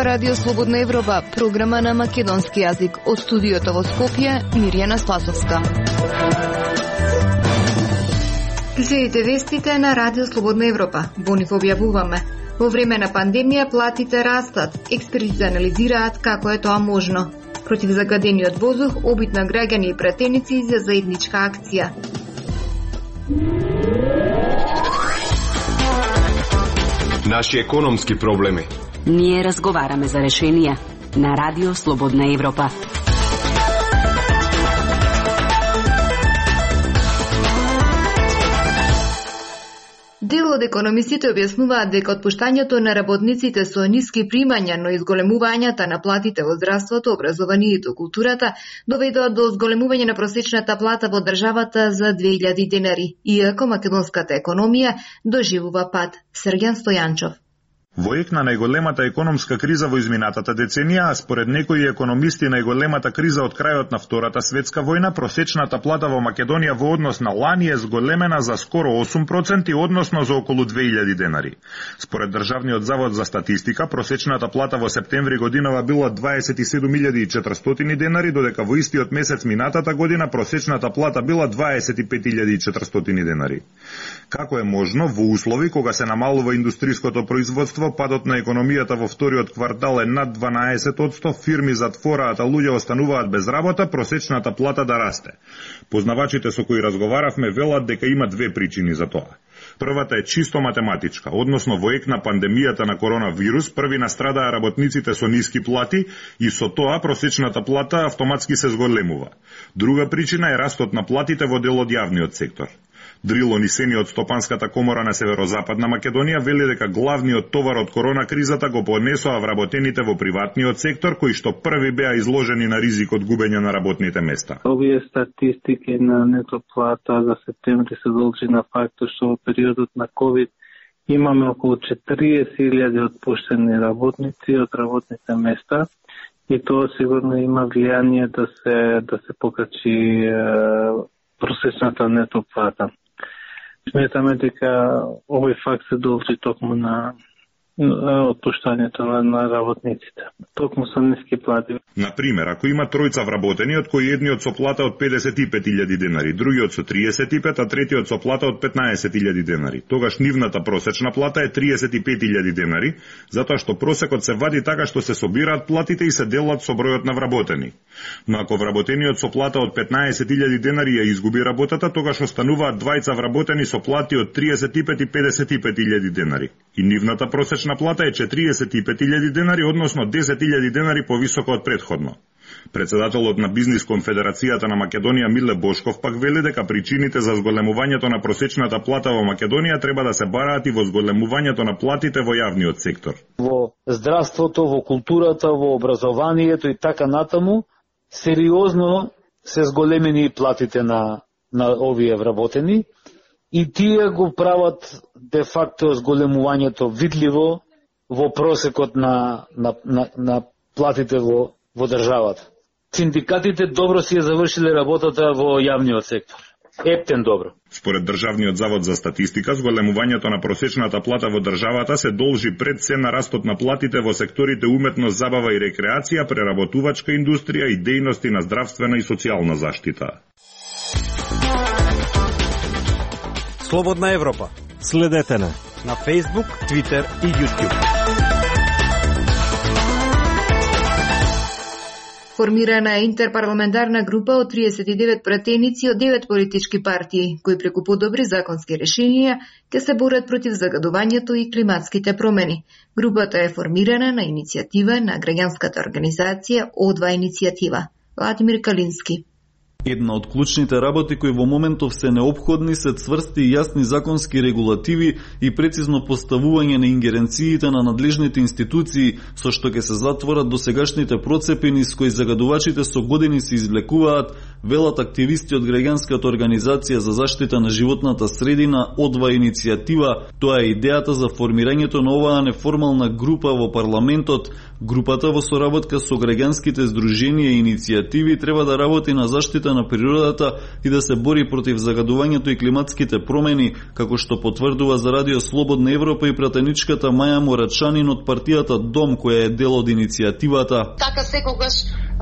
Радио Слободна Европа, програма на македонски јазик. Од студиото во Скопје, Мирјана Спасовска. Следите вестите на Радио Слободна Европа. Во нив објавуваме: во време на пандемија платите растат, експерти анализираат како е тоа можно. Против загадениот воздух, обид на граѓани и пратеници за заедничка акција. Наши економски проблеми. Ние разговараме за решенија на Радио Слободна Европа. Дел од економистите објаснуваат дека отпуштањето на работниците со ниски примања, но изголемувањата на платите во здравството, образованието, културата доведоа до зголемување на просечната плата во државата за 2000 денари, иако македонската економија доживува пад. Срѓан Стојанчов. Во ек на најголемата економска криза во изминатата деценија, а според некои економисти најголемата криза од крајот на Втората светска војна, просечната плата во Македонија во однос на лани е зголемена за скоро 8%, односно за околу 2000 денари. Според Државниот завод за статистика, просечната плата во септември годинава била 27.400 денари, додека во истиот месец минатата година просечната плата била 25.400 денари. Како е можно во услови кога се намалува индустриското производство, падот на економијата во вториот квартал е над 12%, фирми затвораат, а луѓе остануваат без работа, просечната плата да расте? Познавачите со кои разговаравме велат дека има две причини за тоа. Првата е чисто математичка, односно во ек на пандемијата на коронавирус, први настрадаа работниците со ниски плати и со тоа просечната плата автоматски се зголемува. Друга причина е растот на платите во дел од јавниот сектор. Дрило Нисени од Стопанската комора на Северозападна Македонија вели дека главниот товар од корона кризата го понесоа вработените во приватниот сектор, кои што први беа изложени на ризик од губење на работните места. Овие статистики на нето плата за септември се должи на фактот што во периодот на COVID имаме околу 40.000 отпуштени работници од работните места и тоа сигурно има влијание да се покачи просечната нето плата. Сметаме дека овој факт се должи токму на отпуштањето на работниците. Токму со ниски плати. Например, ако има тројца вработени, од кои едниот со плата од 55.000 денари, другиот со 35, а третиот со плата од 15.000 денари, тогаш нивната просечна плата е 35.000 денари, затоа што просекот се вади така што се собираат платите и се делат со бројот на вработени. Но ако вработениот со плата од 15.000 денари ја изгуби работата, тогаш остануваат двајца вработени со плати од 35 и 55.000 денари. И нивната просечна плата е 45.000 денари, односно 10.000 денари повисока од претходно. Председателот на Бизнис конфедерацијата на Македонија Миле Бошков пак вели дека причините за зголемувањето на просечната плата во Македонија треба да се бараат и во зголемувањето на платите во јавниот сектор. Во здравството, во културата, во образованието и така натаму, сериозно се зголемени платите на овие вработени и тие го прават де факто зголемувањето видливо во просекот на платите во државата. Синдикатите добро си ја завршиле работата во јавниот сектор. Ептен добро. Според Државниот завод за статистика, зголемувањето на просечната плата во државата се должи пред се на растот на платите во секторите уметност, забава и рекреација, преработувачка индустрија и дејности на здравствена и социјална заштита. Слободна Европа. Следете на Facebook, Twitter и YouTube. Формирана е интерпарламентарна група од 39 пратеници од 9 политички партии, кои преку подобри законски решенија ќе се борат против загадувањето и климатските промени. Групата е формирана на иницијатива на граѓанската организација О2 иницијатива. Владимир Калински. Една од клучните работи кои во моментов се неопходни се цврсти и јасни законски регулативи и прецизно поставување на ингеренциите на надлежните институции, со што ќе се затворат досегашните процепи с кои загадувачите со години се извлекуваат, велат активисти од граѓанската организација за заштита на животната средина О2 иницијатива. Тоа е идејата за формирањето на оваа неформална група во парламентот Групата во соработка со граѓанските здруженија и иницијативи треба да работи на заштита на природата и да се бори против загадувањето и климатските промени, како што потврдува за Радио Слободна Европа и пратеничката Маја Морачанин од партијата Дом, која е дел од иницијативата. Така секогаш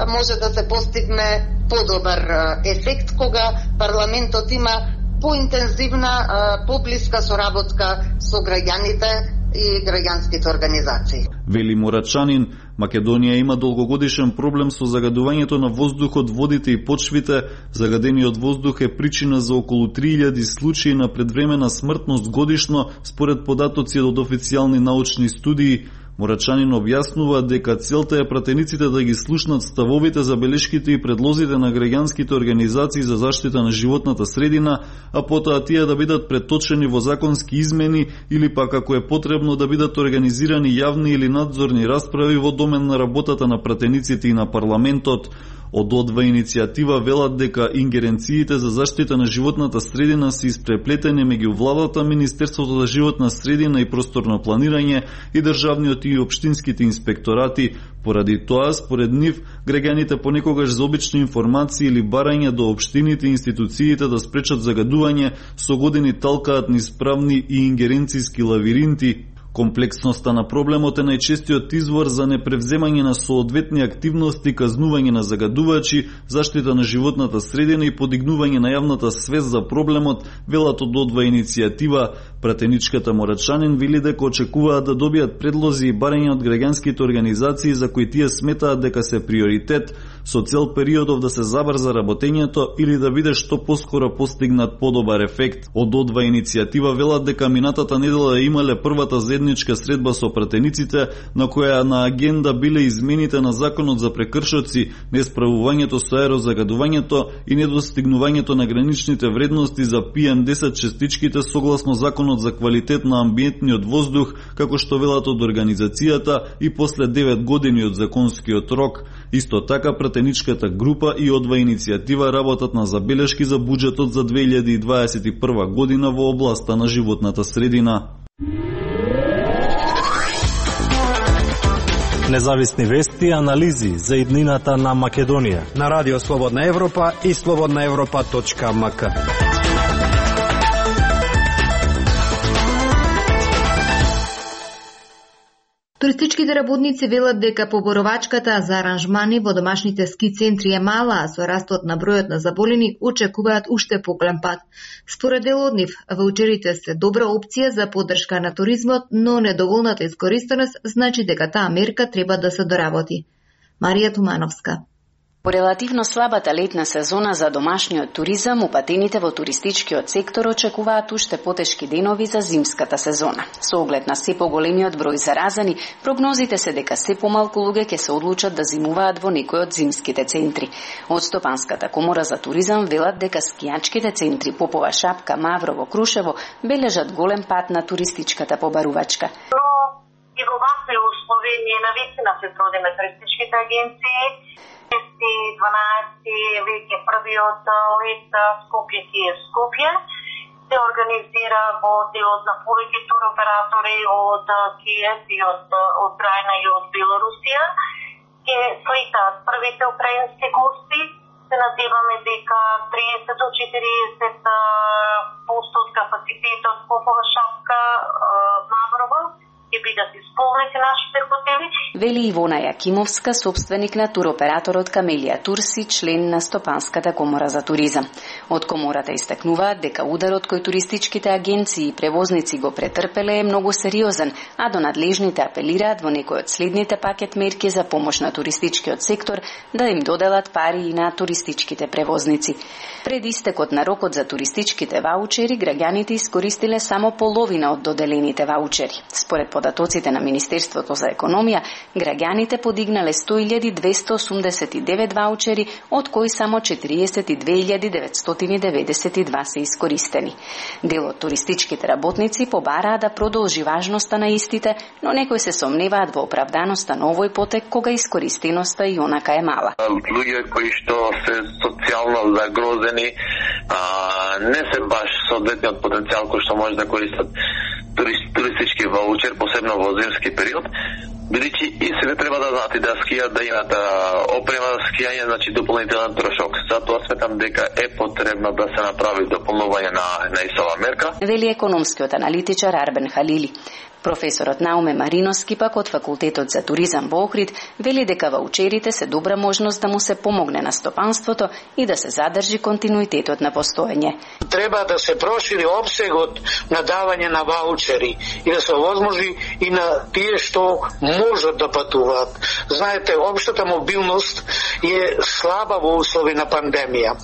може да се постигне подобар ефект кога парламентот има поинтензивна, поблиска соработка со граѓаните и граѓанските организации. Вели Морачанин, Македонија има долгогодишен проблем со загадувањето на воздухот, водите и почвите. Загадениот воздух е причина за околу 3000 случаи на предвремена смртност годишно, според податоци од официјални научни студии. Морачанин објаснува дека целта е пратениците да ги слушнат ставовите, забелешките и предлозите на граѓанските организации за заштита на животната средина, а потоа тие да бидат преточени во законски измени или пак ако е потребно да бидат организирани јавни или надзорни расправи во домен на работата на пратениците и на парламентот. Од одва иницијатива велат дека ингеренциите за заштита на животната средина се испреплетени меѓу владата, Министерството за животна средина и просторно планирање и државниот и општинските инспекторати. Поради тоа, според нив, граѓаните понекогаш за обични информации или барање до општините и институциите да спречат загадување, со години талкаат низ правни и ингеренцијски лавиринти. Комплексноста на проблемот е најчестиот извор за непревземање на соодветни активности, казнување на загадувачи, заштита на животната средина и подигнување на јавната свест за проблемот, велат од одва иницијатива. Пратеничката Морачанин вели дека очекуваат да добијат предлози и барања од граѓанските организации за кои тие сметаат дека се приоритет, со цел периодов да се забрза работењето или да биде што поскоро постигнат подобар ефект. Од одва иницијатива велат дека минатата недела имале првата заедничка средба со пратениците, на која на агенда биле измените на законот за прекршоци, несправувањето со аерозагадувањето и недостигнувањето на граничните вредности за PM10 частичките согласно законот за квалитет на амбиентниот воздух, како што велат од организацијата и после 9 години од законскиот рок. Исто така пратеничката група и одва иницијатива работат на забелешки за буџетот за 2021 година во областа на животната средина. Независни вести и анализи за иднината на Македонија на Радио Слободна Европа и slobodnaevropa.mk. Туристичките работници велат дека поборовачката за аранжмани во домашните ски центри е мала, а со растот на бројот на заболени очекуваат уште поголем пат. Според дел од нив, ваучерите се добра опција за поддршка на туризмот, но недоволната искористеност значи дека таа мерка треба да се доработи. Марија Тумановска. По релативно слабата летна сезона за домашниот туризам, упатените во туристичкиот сектор очекуваат уште потешки денови за зимската сезона. Со оглед на се поголемиот број заразени, прогнозите се дека се помалку луѓе ќе се одлучат да зимуваат во некој од зимските центри. Од Стопанската комора за туризам велат дека скијачките центри Попова Шапка, Маврово, Крушево бележат голем пат на туристичката побарувачка. И во вакви услови ние навистина се трудиме туристичките агенции. 12 веќе првиот лет Скопје Киев Скопје се организира во делот на повеќе туроператори од Киев и од Крајна и од Белорусија. Ке слетаат првите украински гости. Се надеваме дека 30 до 40% од капацитетот Попова Шапка, Маврово ќе бидат исполнети нашите хотели. Вели Ивона Јакимовска, собственик на туроператорот Камелија Турси, член на Стопанската комора за туризам. Од комората истакнуваат дека ударот кој туристичките агенции и превозници го претрпеле е многу сериозен, а до надлежните апелираат во некој од следните пакет мерки за помош на туристичкиот сектор да им доделат пари и на туристичките превозници. Пред истекот на рокот за туристичките ваучери, граѓаните искористиле само половина од доделените ваучери. Според податоците на Министерството за економија, граѓаните подигнале 100.289 ваучери, од кои само 42.992 се искористени. Дел од туристичките работници побараа да продолжи важноста на истите, но некои се сомневаат во оправданоста на овој потек кога искористеноста и онака е мала. Луѓе кои што се социјално загрозени, не се баш соодветниот потенцијал кој што може да користат туристички ваучер, посебно во зимски период, Бидејќи и себе треба да знаат и да скијат, да имат опрема за скијање, значи дополнителен трошок. Затоа сметам дека е потребно да се направи дополнување на ИСОВА мерка. Вели економскиот аналитичар Арбен Халили. Професорот Науме Мариновски пак од Факултетот за туризам во Охрид вели дека ваучерите се добра можност да му се помогне на стопанството и да се задржи континуитетот на постоење. Треба да се прошири опсегот на давање на ваучери и да се овозможи и на тие што можат да патуваат. Знаете, општата мобилност е слаба во услови на пандемија.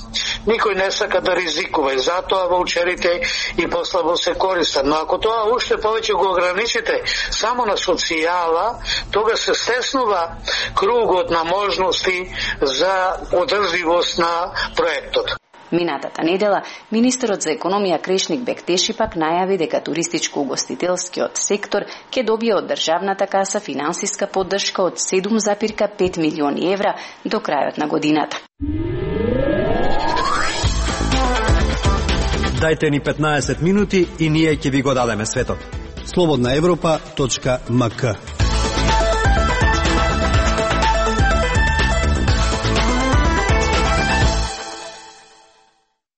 Никој не сака да ризикува и затоа ваучерите и послабо се користат. Но ако тоа уште повеќе го ограничите само на социјала, тога се стеснува кругот на можности за одржливост на проектот. Минатата недела, министерот за економија Крешник Бектеши пак најави дека туристичко-угостителскиот сектор ќе добие од државната каса финансиска поддршка од 7,5 милиони евра до крајот на годината. Дајте ни 15 минути и ние ќе ви го дадеме светот. slobodnaevropa.mk.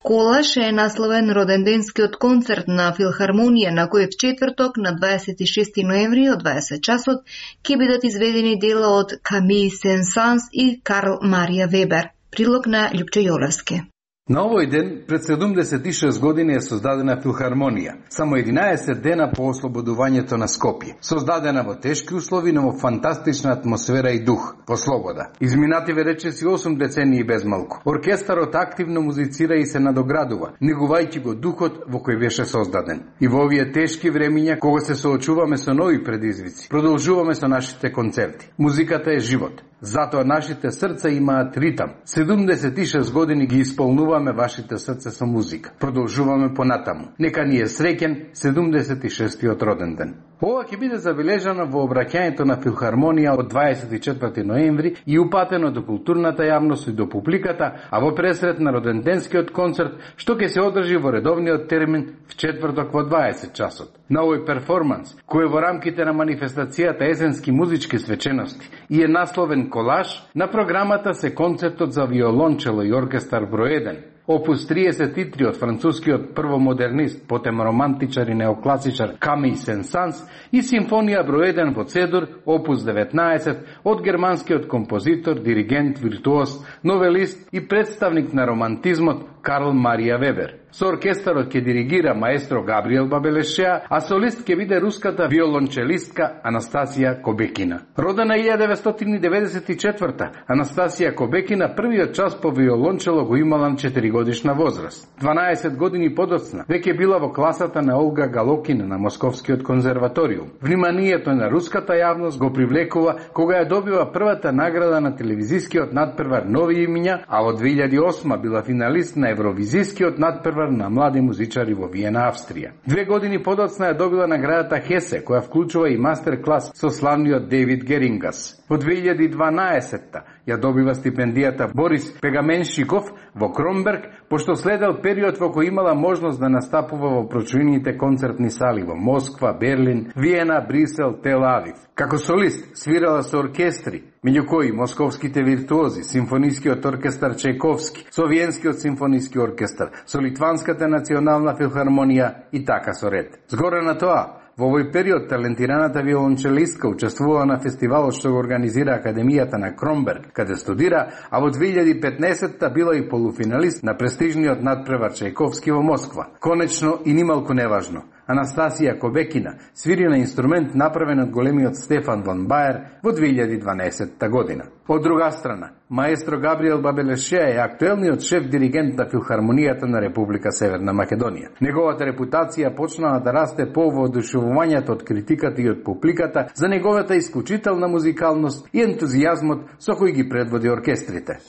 Колаш е насловен роденденскиот концерт на Филхармонија на кој в четврток на 26 ноември од 20 часот ќе бидат изведени дела од Камиль Сен-Санс и Карл Марија Вебер. Прилог на Љупчо Јолевски. На овој ден, пред 76 години е создадена Филхармонија, само 11 дена по ослободувањето на Скопје. Создадена во тешки услови, но во фантастична атмосфера и дух, по слобода. Изминативе речиси 8 децении без малку. Оркестарот активно музицира и се надоградува, негувајќи го духот во кој беше создаден. И во овие тешки времиња, кога се соочуваме со нови предизвици, продолжуваме со нашите концерти. Музиката е живот. Затоа нашите срца имаат ритам. 76 години ги исполнуваме вашите срца со музика. Продолжуваме понатаму. Нека ни е среќен 76-тиот роден ден. Ова ќе биде забележано во обраќањето на Филхармонија од 24 ноември и упатено до културната јавност и до публиката, а во пресрет на роденденскиот концерт, што ќе се одржи во редовниот термин в четврток во 20 часот. На овој перформанс, кој е во рамките на манифестацијата Есенски музички свечености и е насловен Колаш, на програмата се концертот за виолончело и оркестар број 1, Опус 33 од францускиот првомодернист, потем романтичар и неокласичар Камиль Сен-Санс и симфонија број 1 во Цедур, Опус 19 од германскиот композитор, диригент, виртуоз, новелист и представник на романтизмот Карл Марија Вебер. Со оркестарот ќе диригира маестро Габриел Бабелешеа, а солист ќе биде руската виолончелистка Анастасија Кобекина. Родена 1994, Анастасија Кобекина првиот час по виолончело го имала на 4 годишна возраст. 12 години подоцна веќе била во класата на Олга Галокина на Московскиот конзерваториум. Вниманието на руската јавност го привлекува кога ја добива првата награда на телевизискиот надпревар Нови имиња, а во 2008 била финалист на Евровизискиот надпревар на млади музичари во Виена, Австрија. 2 години подоцна ја добила наградата Хесе, која вклучува и мастер-клас со славниот Дейвид Герингас. Во 2012 ја добива стипендијата Борис Пегаменшиков во Кромберг, пошто следел период во кој имала можност да настапува во прочуените концертни сали во Москва, Берлин, Виена, Брисел, Тел Авив. Како солист свирала со оркестри, меѓу кои московските виртуози, симфонискиот оркестар Чајковски, со Виенскиот симфониски оркестар, со Литванската национална филхармонија и така со ред. Згоре на тоа, во овој период талентираната виолончелистка учествува на фестивалот што го организира Академијата на Кромберг, каде студира, а во 2015-та била и полуфиналист на престижниот надпревар Чајковски во Москва. Конечно и нималку неважно, Анастасија Кобекина свири на инструмент направен од големиот Стефан вон Баер во 2012 година. Од друга страна, маестро Габриел Бабелешеа е актуелниот шеф-диригент на Филхармонијата на Република Северна Македонија. Неговата репутација почнала да расте по воодушевувањето од критиката и од публиката за неговата исклучителна музикалност и ентузијазмот со кој ги предводи оркестрите.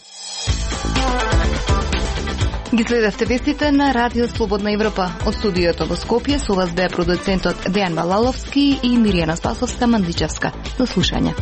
Ги следевте вестите на Радио Слободна Европа. Од студиото во Скопје со вас беа продуцентот Дејан Балаловски и Миријана Спасовска-Мандичевска. До слушање.